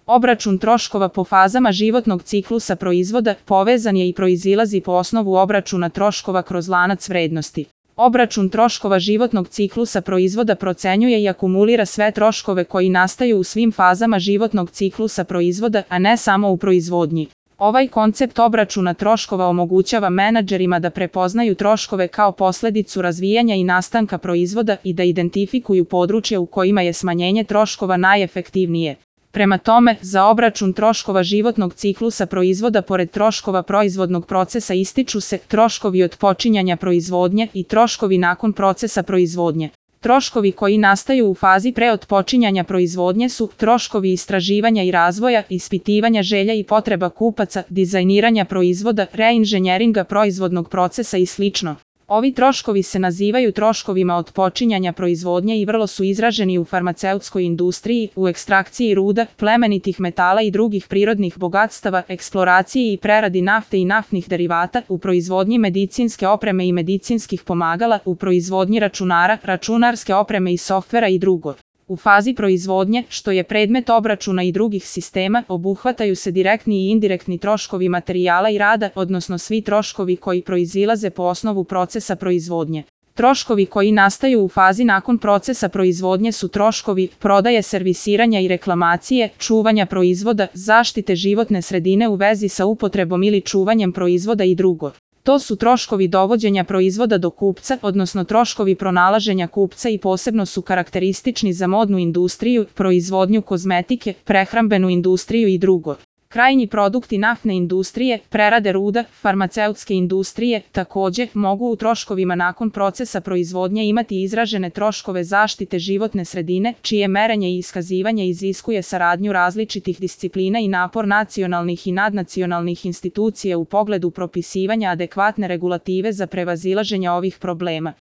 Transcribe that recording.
Obračun troškova po fazama životnog ciklusa proizvoda povezan je i proizilazi po osnovu obračuna troškova kroz lanac vrednosti. Obračun troškova životnog ciklusa proizvoda procenjuje i akumulira sve troškove koji nastaju u svim fazama životnog ciklusa proizvoda, a ne samo u proizvodnji. Ovaj koncept obračuna troškova omogućava menadžerima da prepoznaju troškove kao posledicu razvijanja i nastanka proizvoda i da identifikuju područja u kojima je smanjenje troškova najefektivnije. Prema tome, za obračun troškova životnog ciklusa proizvoda pored troškova proizvodnog procesa ističu se troškovi od počinjanja proizvodnje i troškovi nakon procesa proizvodnje. Troškovi koji nastaju u fazi pre otpočinjanja proizvodnje su troškovi istraživanja i razvoja, ispitivanja želja i potreba kupaca, dizajniranja proizvoda, reinženjeringa proizvodnog procesa i sl. Ovi troškovi se nazivaju troškovima otpočinjanja proizvodnje i vrlo su izraženi u farmaceutskoj industriji, u ekstrakciji ruda, plemenitih metala i drugih prirodnih bogatstava, eksploraciji i preradi nafte i naftnih derivata, u proizvodnji medicinske opreme i medicinskih pomagala, u proizvodnji računara, računarske opreme i softvera i drugo. U fazi proizvodnje, što je predmet obračuna i drugih sistema, obuhvataju se direktni i indirektni troškovi materijala i rada, odnosno svi troškovi koji proizilaze po osnovu procesa proizvodnje. Troškovi koji nastaju u fazi nakon procesa proizvodnje su troškovi prodaje, servisiranja i reklamacije, čuvanja proizvoda, zaštite životne sredine u vezi sa upotrebom ili čuvanjem proizvoda i drugo. To su troškovi dovođenja proizvoda do kupca, odnosno troškovi pronalaženja kupca i posebno su karakteristični za modnu industriju, proizvodnju kozmetike, prehrambenu industriju i drugo. Krajnji produkti naftne industrije, prerade ruda, farmaceutske industrije, takođe, mogu u troškovima nakon procesa proizvodnje imati izražene troškove zaštite životne sredine, čije merenje i iskazivanje iziskuje saradnju različitih disciplina i napor nacionalnih i nadnacionalnih institucija u pogledu propisivanja adekvatne regulative za prevazilaženje ovih problema.